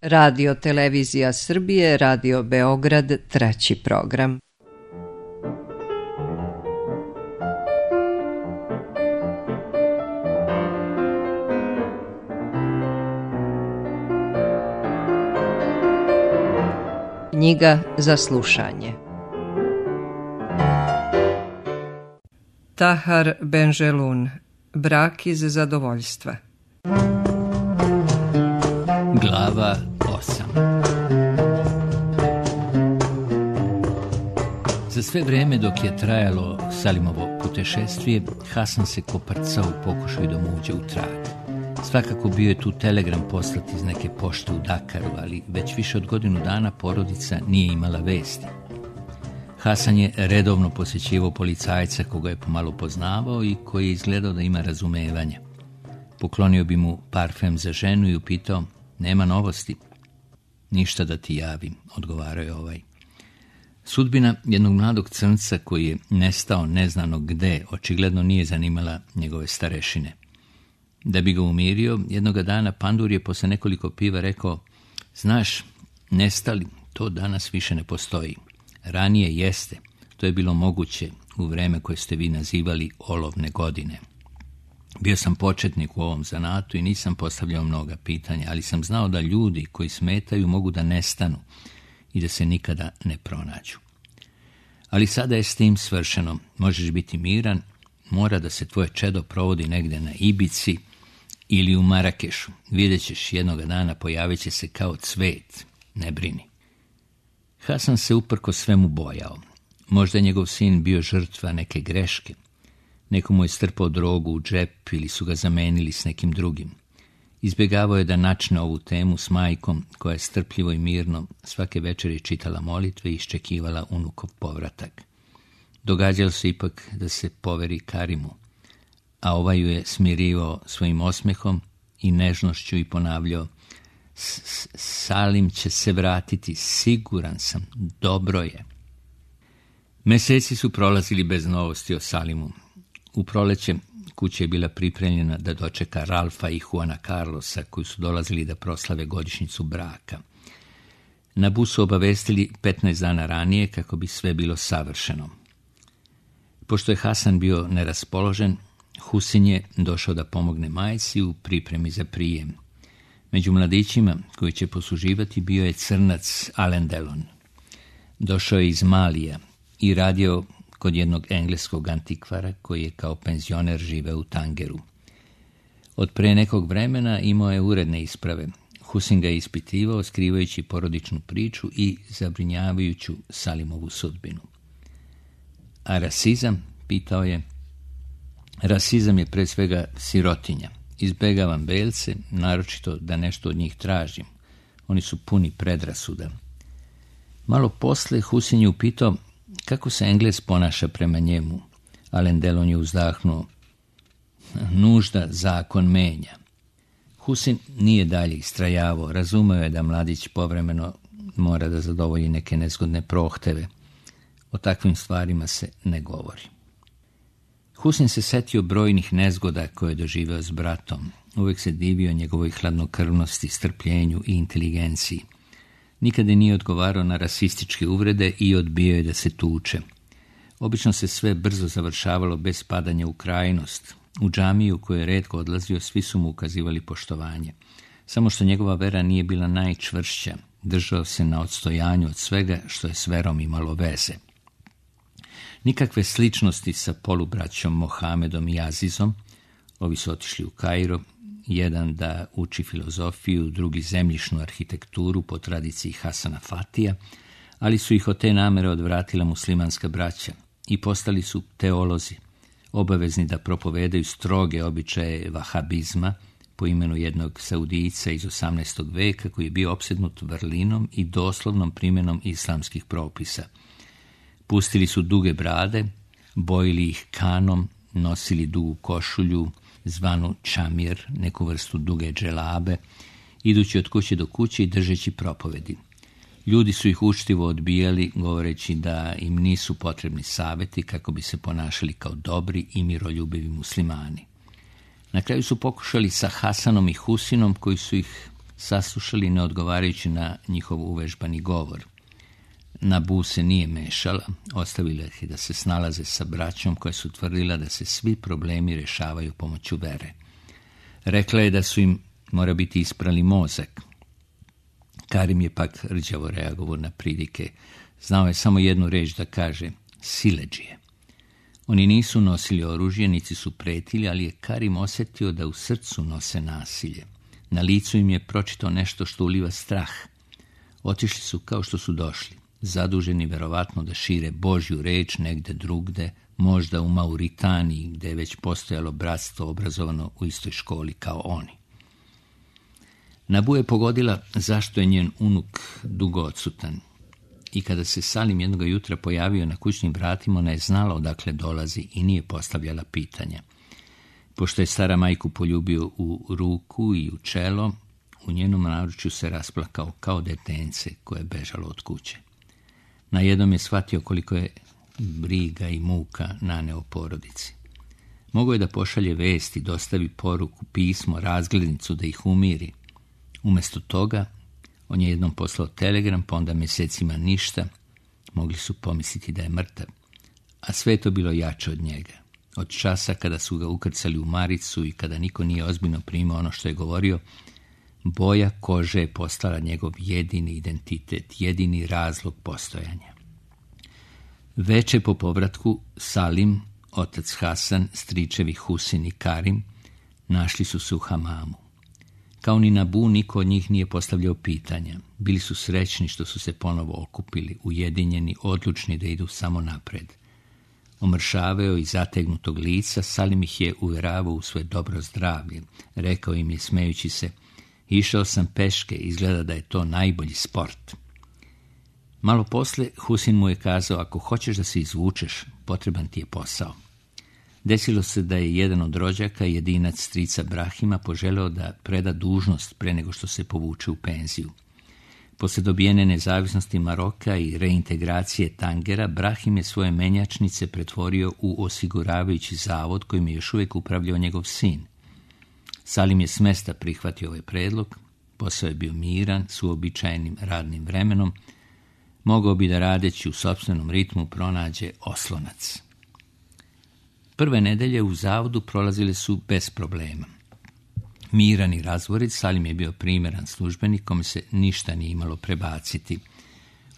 Radio Televizija Srbije, Radio Beograd, treći program. Knjiga za slušanje. Tahar Benjelun, Brak iz zadovoljstva. Glava 8. Za sve vreme dok je trajalo Salimovo putešestvije, Hasan se koprcao u pokušaju da mu uđe u trag. Svakako bio je tu telegram poslat iz neke pošte u Dakaru, ali već više od godinu dana porodica nije imala vesti. Hasan je redovno posjećivao policajca koga je pomalo poznavao i koji je izgledao da ima razumevanja. Poklonio bi mu parfem za ženu i upitao: nema novosti? Ništa da ti javim, odgovarao je ovaj. Sudbina jednog mladog crnca koji je nestao neznano gde očigledno nije zanimala njegove starešine. Da bi ga umirio, jednoga dana Pandur je posle nekoliko piva rekao: znaš, nestali, to danas više ne postoji. Ranije jeste, to je bilo moguće u vreme koje ste vi nazivali olovne godine. Bio sam početnik u ovom zanatu i nisam postavljao mnoga pitanja, ali sam znao da ljudi koji smetaju mogu da nestanu i da se nikada ne pronađu. Ali sada je s tim svršeno, možeš biti miran, mora da se tvoje čedo provodi negde na Ibici ili u Marakešu. Vidjet ćeš, jednoga dana pojavit će se kao cvet, ne brini. Hasan se uprko svemu bojao. Možda je njegov sin bio žrtva neke greške. Neko mu je strpao drogu u džep ili su ga zamenili s nekim drugim. Izbjegavao je da načne ovu temu s majkom, koja je strpljivo i mirno svake večeri čitala molitve i iščekivala unukov povratak. Događalo se ipak da se poveri Karimu, a ovaj ju je smirivao svojim osmehom i nežnošću i ponavljao: Salim će se vratiti, siguran sam, dobro je. Meseci su prolazili bez novosti o Salimu. U proleće kuća je bila pripremljena da dočeka Ralfa i Juana Carlosa, koji su dolazili da proslave godišnjicu braka. Na busu obavestili 15 dana ranije kako bi sve bilo savršeno. Pošto je Hasan bio neraspoložen, Husin je došao da pomogne majci u pripremi za prijem. Među mladićima koji će posluživati bio je crnac Alain Delon. Došao je iz Malija i radio kod jednog engleskog antikvara koji je kao penzioner živeo u Tangeru. Od pre nekog vremena imao je uredne isprave. Husin ga je ispitivao, skrivajući porodičnu priču i zabrinjavajuću Salimovu sudbinu. A rasizam, pitao je. Rasizam je pre svega sirotinja. Izbegavam belce, naročito da nešto od njih tražim. Oni su puni predrasuda. Malo posle Husin je upitao kako se Englez ponaša prema njemu. Alain Delon je uzdahnuo: nužda zakon menja. Husin nije dalje istrajavao, razumeo je da mladić povremeno mora da zadovolji neke nezgodne prohteve. O takvim stvarima se ne govori. Husin se setio brojnih nezgoda koje je doživeo s bratom. Uvijek se divio njegovoj hladnokrvnosti, strpljenju i inteligenciji. Nikada nije odgovarao na rasističke uvrede i odbio je da se tuče. Obično se sve brzo završavalo bez padanja u krajnost. U džamiju u kojoj je retko odlazio, svi su mu ukazivali poštovanje. Samo što njegova vera nije bila najčvršća, držao se na odstojanju od svega što je s verom imalo veze. Nikakve sličnosti sa polubraćom Mohamedom i Azizom. Ovi su otišli u Kairo, jedan da uči filozofiju, drugi zemljišnu arhitekturu po tradiciji Hasana Fatija, ali su ih od te namere odvratila muslimanska braća i postali su teolozi, obavezni da propovedaju stroge običaje vahabizma po imenu jednog Saudijca iz 18. veka koji je bio opsednut vrlinom i doslovnom primjenom islamskih propisa. Pustili su duge brade, bojili ih kanom, nosili dugu košulju, zvanu čamir, neku vrstu duge dželabe, idući od kuće do kuće i držeći propovedi. Ljudi su ih učtivo odbijali, govoreći da im nisu potrebni saveti kako bi se ponašali kao dobri i miroljubivi muslimani. Na kraju su pokušali sa Hasanom i Husinom, koji su ih saslušali ne odgovarajući na njihov uvežbani govor. Nabu se nije mešala, ostavila ih da se snalaze sa braćom koja su tvrdila da se svi problemi rješavaju pomoću vere. Rekla je da su im, mora biti, isprali mozak. Karim je pak rđavo reagovao na pridike. Znao je samo jednu reč da kaže, siledžije. Oni nisu nosili oružje, niti su pretili, ali je Karim osjetio da u srcu nose nasilje. Na licu im je pročitao nešto što uliva strah. Otišli su kao što su došli, zaduženi verovatno da šire Božju reč negde drugde, možda u Mauritaniji, gde je već postojalo bratstvo obrazovano u istoj školi kao oni. Nabu je pogodila zašto je njen unuk dugo odsutan. I kada se Salim jednog jutra pojavio na kućnim vratima, ona je znala odakle dolazi i nije postavljala pitanja. Pošto je stara majku poljubio u ruku i u čelo, u njenom naručju se rasplakao kao detence koje je bežalo od kuće. Na jednom je shvatio koliko je briga i muka naneo porodici. Mogao je da pošalje vesti, dostavi poruku, pismo, razglednicu da ih umiri. Umjesto toga, on je jednom poslao telegram, pa onda mjesecima ništa. Mogli su pomisliti da je mrtav. A sve je to bilo jače od njega. Od časa kada su ga ukrcali u maricu i kada niko nije ozbiljno primao ono što je govorio, boja kože je postala njegov jedini identitet, jedini razlog postojanja. Veče po povratku Salim, otac Hasan, stričevi Husin i Karim našli su se u hamamu. Kao ni Nabu, niko od njih nije postavljao pitanja. Bili su srećni što su se ponovo okupili, ujedinjeni, odlučni da idu samo napred. Omršaveo i zategnutog lica, Salim ih je uvjeravao u svoje dobro zdravlje. Rekao im je, smejući se, išao sam peške, izgleda da je to najbolji sport. Malo posle, Husin mu je kazao, ako hoćeš da se izvučeš, potreban ti je posao. Desilo se da je jedan od rođaka, jedinac strica Brahima, poželeo da preda dužnost pre nego što se povuče u penziju. Posle dobijene nezavisnosti Maroka i reintegracije Tangera, Brahim je svoje menjačnice pretvorio u osiguravajući zavod kojim je još uvijek upravljao njegov sin. Salim je s mesta prihvatio ovaj predlog, posao je bio miran, s uobičajenim radnim vremenom, mogao bi da radeći u sopstvenom ritmu pronađe oslonac. Prve nedelje u zavodu prolazile su bez problema. Miran i razvorit, Salim je bio primjeran službenik kome se ništa nije imalo prebaciti.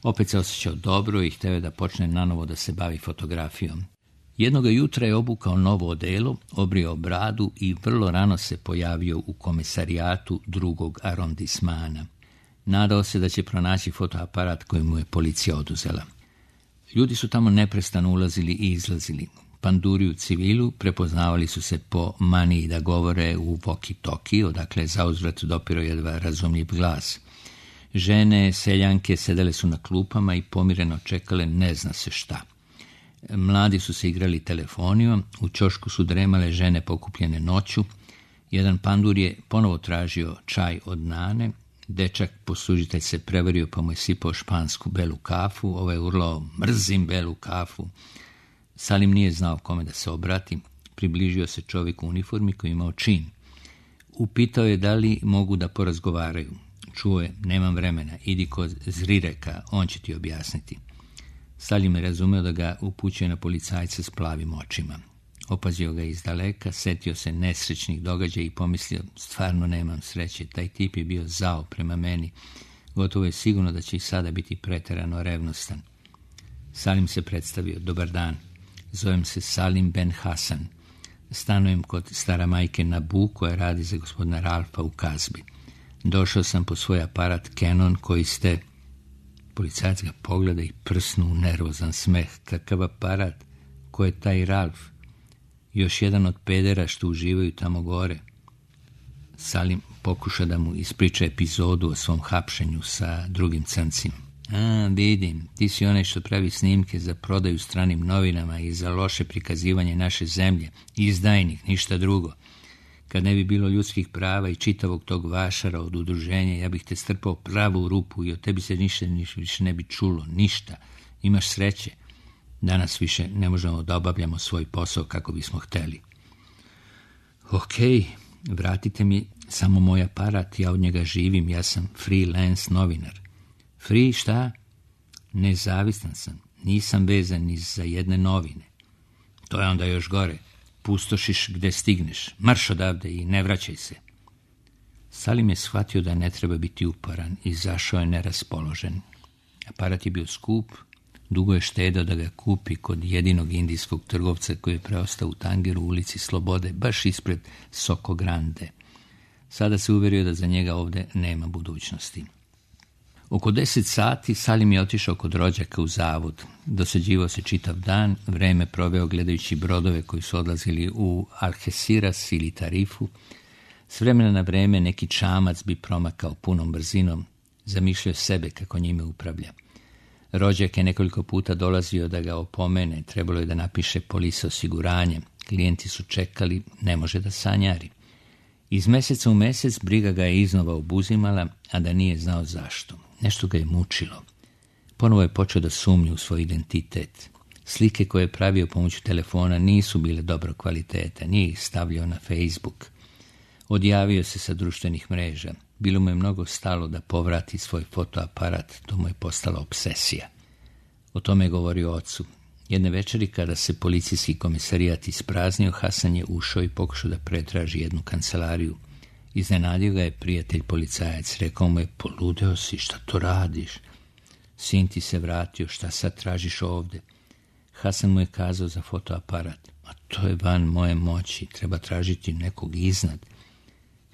Opet se osjećao dobro i hteo je da počne nanovo da se bavi fotografijom. Jednoga jutra je obukao novo odelo, obrio bradu i vrlo rano se pojavio u komisarijatu drugog arondismana. Nadao se da će pronaći fotoaparat koji mu je policija oduzela. Ljudi su tamo neprestano ulazili i izlazili. Panduri u civilu prepoznavali su se po maniji da govore u walkie-talkie, odakle je zauzvrat dopiro jedva razumljiv glas. Žene, seljanke sedele su na klupama i pomireno čekale ne zna se šta. Mladi su se igrali telefonijom, u ćošku su dremale žene pokupljene noću. Jedan pandur je ponovo tražio čaj od Nane. Dečak poslužitelj se prevario pa mu je sipao špansku belu kafu. Ovaj urlao, mrzim belu kafu. Salim nije znao kome da se obrati. Približio se čovjek u uniformi koji imao čin. Upitao je da li mogu da porazgovaraju. Čuo je, nemam vremena, idi kod Zrireka, on će ti objasniti. Salim je razumeo da ga upućuje na policajca s plavim očima. Opazio ga iz daleka, setio se nesrećnih događaja i pomislio, stvarno nemam sreće, taj tip je bio zao prema meni. Gotovo je sigurno da će i sada biti preterano revnostan. Salim se predstavio, dobar dan. Zovem se Salim Ben Hasan. Stanujem kod stara majke Nabu koja radi za gospodina Ralfa u Kazbi. Došao sam po svoj aparat Canon koji ste... Policajac ga pogleda i prsnu u nervozan smeh. Kakav aparat? Ko je taj Ralf? Još jedan od pedera što uživaju tamo gore. Salim pokuša da mu ispriča epizodu o svom hapšenju sa drugim crncima. Vidim, ti si onaj što pravi snimke za prodaju stranim novinama i za loše prikazivanje naše zemlje. Izdajnik, ništa drugo. Kad ne bi bilo ljudskih prava i čitavog tog vašara od udruženja, ja bih te strpao pravo u rupu i od tebi se ništa više ne bi čulo, ništa. Imaš sreće. Danas više ne možemo da obavljamo svoj posao kako bismo hteli. Okej, vratite mi samo moj aparat, ja od njega živim, ja sam freelance novinar. Free šta? Nezavisan sam, nisam vezan ni za jedne novine. To je onda još gore. Pustošiš gde stigneš, marš odavde i ne vraćaj se. Salim je shvatio da ne treba biti uporan i izašao je neraspoložen. Aparat je bio skup, dugo je štedao da ga kupi kod jedinog indijskog trgovca koji je preostao u Tangiru u ulici Slobode, baš ispred Soko Grande. Sada se uverio da za njega ovde nema budućnosti. Oko 10 sati Salim je otišao kod rođaka u zavod. Dosađivao se čitav dan, vreme proveo gledajući brodove koji su odlazili u Algeciras ili Tarifu. S vremena na vreme neki čamac bi promakao punom brzinom, zamišljao sebe kako njime upravlja. Rođak je nekoliko puta dolazio da ga opomene, trebalo je da napiše polise osiguranje. Klijenti su čekali, ne može da sanjari. Iz meseca u mesec briga ga je iznova obuzimala, a da nije znao zašto. Nešto ga je mučilo. Ponovo je počeo da sumnja u svoj identitet. Slike koje je pravio pomoću telefona nisu bile dobro kvaliteta, nije ih stavljao na Facebook. Odjavio se sa društvenih mreža. Bilo mu je mnogo stalo da povrati svoj fotoaparat, to mu je postala obsesija. O tome je govorio ocu. Jedne večeri, kada se policijski komisarijat ispraznio, Hasan je ušao i pokušao da pretraži jednu kancelariju. Iznenadio ga je prijatelj policajac, rekao mu je, poludeo si, šta to radiš? Sin ti se vratio, šta sad tražiš ovde? Hasan mu je kazao za fotoaparat, a to je van moje moći, treba tražiti nekog iznad.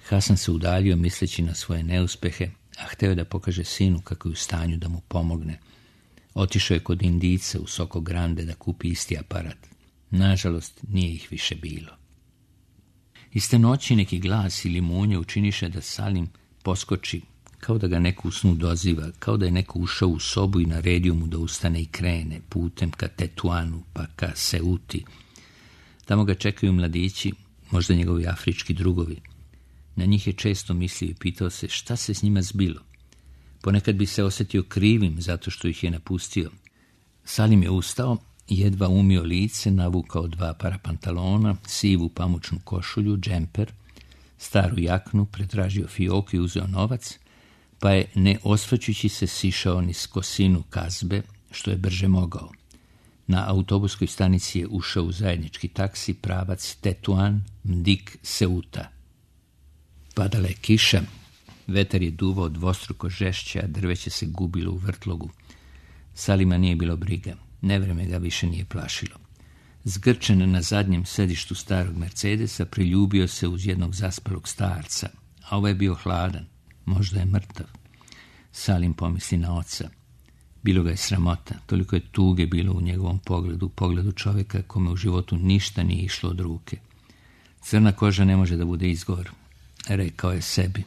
Hasan se udaljio misleći na svoje neuspehe, a hteo je da pokaže sinu kako je u stanju da mu pomogne. Otišao je kod Indijca u Soko Grande da kupi isti aparat. Nažalost, nije ih više bilo. Iste noći neki glas ili munje učiniše da Salim poskoči, kao da ga neko u snu doziva, kao da je neko ušao u sobu i naredio mu da ustane i krene putem ka Tetuanu pa ka Seuti. Tamo ga čekaju mladići, možda njegovi afrički drugovi. Na njih je često mislio i pitao se šta se s njima zbilo. Ponekad bi se osjetio krivim zato što ih je napustio. Salim je ustao, jedva umio lice, navukao 2 para pantalona, sivu pamučnu košulju, džemper, staru jaknu, pretražio fioku i uzeo novac, pa je, ne osvrćući se, sišao niz kosinu Kazbe, što je brže mogao. Na autobuskoj stanici je ušao u zajednički taksi, pravac Tetuan, Mdik, Seuta. Padala je kiša, vetar je duvao dvostruko žešće, a drveće se gubilo u vrtlogu. Salima nije bilo briga, nevreme ga više nije plašilo. Zgrčen na zadnjem sedištu starog Mercedesa, priljubio se uz jednog zaspalog starca, a ovaj je bio hladan, možda je mrtav. Salim pomisli na oca. Bilo ga je sramota, toliko je tuge bilo u njegovom pogledu čovjeka kome u životu ništa nije išlo od ruke. Crna koža ne može da bude izgovor, rekao je sebi.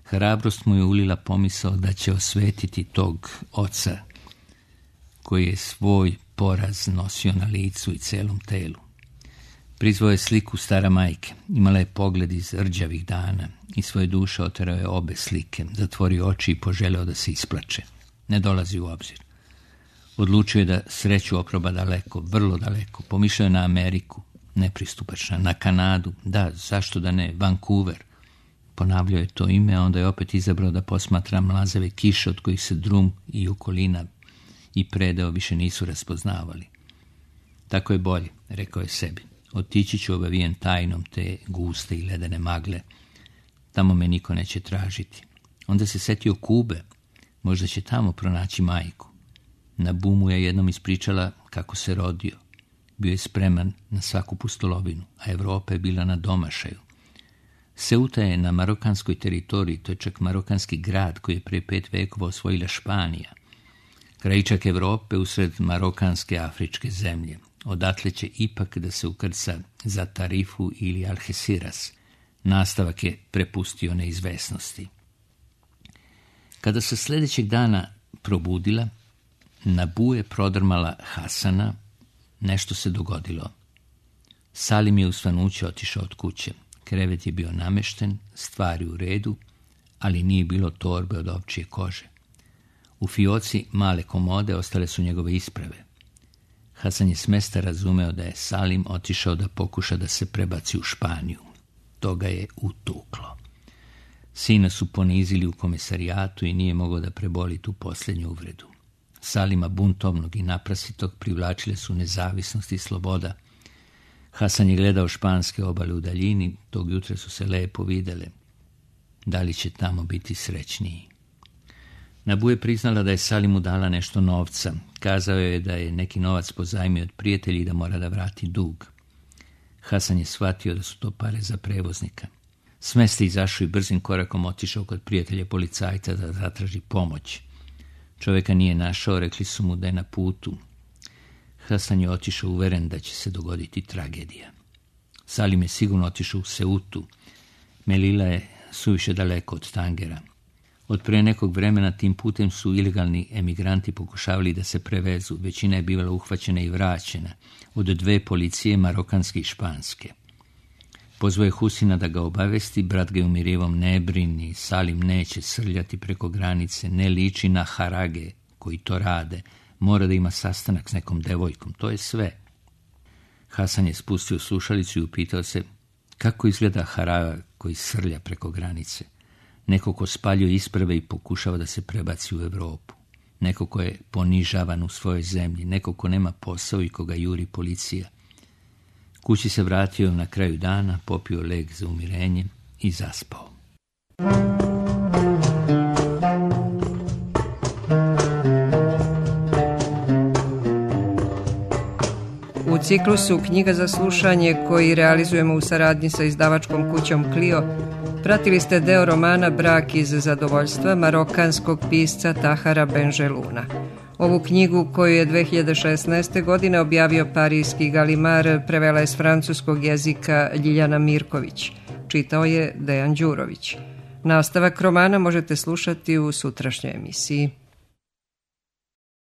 Hrabrost mu je ulila pomisao da će osvetiti tog oca koji je svoj poraz nosio na licu i celom telu. Prizvao je sliku stara majke, imala je pogled iz rđavih dana i svoje duše oterao je obe slike, zatvorio oči i poželeo da se isplače. Ne dolazi u obzir. Odlučio je da sreću oproba daleko, vrlo daleko, pomišljao je na Ameriku, nepristupačna, na Kanadu, da, zašto da ne, Vancouver. Ponavljao je to ime, a onda je opet izabrao da posmatra mlazave kiše od kojih se drum i okolina i predeo više nisu raspoznavali. Tako je bolje, rekao je sebi. Otići ću obavijen tajnom te guste i ledene magle. Tamo me niko neće tražiti. Onda se setio Kube. Možda će tamo pronaći majku. Na bumu je jednom ispričala kako se rodio. Bio je spreman na svaku pustolovinu, a Evropa je bila na domašaju. Seuta je na marokanskoj teritoriji, to je čak marokanski grad koji je pre 5 vekova osvojila Španija. Krajičak Evrope usred marokanske afričke zemlje. Odatle će ipak da se ukrca za Tarifu ili Algeciras. Nastavak je prepustio neizvesnosti. Kada se sljedećeg dana probudila, na Bu je prodrmala Hasana, nešto se dogodilo. Salim je u svanuće otišao od kuće. Krevet je bio namešten, stvari u redu, ali nije bilo torbe od ovčije kože. U fioci male komode ostale su njegove isprave. Hasan je smesta razumeo da je Salim otišao da pokuša da se prebaci u Španiju. to ga je utuklo. Sina su ponizili u komisarijatu i nije mogao da preboli tu posljednju uvredu. Salima buntovnog i naprasitog privlačile su nezavisnost i sloboda. Hasan je gledao španske obale u daljini, tog jutra su se lepo videle. Da li će tamo biti srećniji? Nabu je priznala da je Salimu dala nešto novca. Kazao je da je neki novac pozajmio od prijatelja i da mora da vrati dug. Hasan je shvatio da su to pare za prevoznika. Smeste izašao i brzim korakom otišao kod prijatelja policajca da zatraži pomoć. Čovjeka nije našao, rekli su mu da je na putu. Hasan je otišao uveren da će se dogoditi tragedija. Salim je sigurno otišao u Seutu. Melila je suviše daleko od Tangera. Od prije nekog vremena tim putem su ilegalni emigranti pokušavali da se prevezu. Većina je bivala uhvaćena i vraćena. Od 2 policije, marokanske i španske. Pozvao je Husina da ga obavesti, brat ga je umirivom: ne brini, Salim neće srljati preko granice, ne liči na harage koji to rade, mora da ima sastanak s nekom devojkom, to je sve. Hasan je spustio slušalicu i upitao se kako izgleda haraga koji srlja preko granice. Neko ko spaljuje isprave i pokušava da se prebaci u Europu. Neko ko je ponižavan u svojoj zemlji, neko ko nema posao i koga juri policija. Kući se vratio na kraju dana, popio lek za umirenje i zaspao. U ciklusu Knjiga za slušanje, koji realizujemo u saradnji sa izdavačkom kućom Clio, pratili ste deo romana Brak iz zadovoljstva marokanskog pisca Tahara Benjeluna. Ovu knjigu, koju je 2016. godine objavio parijski Galimar, prevela je s francuskog jezika Ljiljana Mirković. Čitao je Dejan Đurović. Nastavak romana možete slušati u sutrašnjoj emisiji.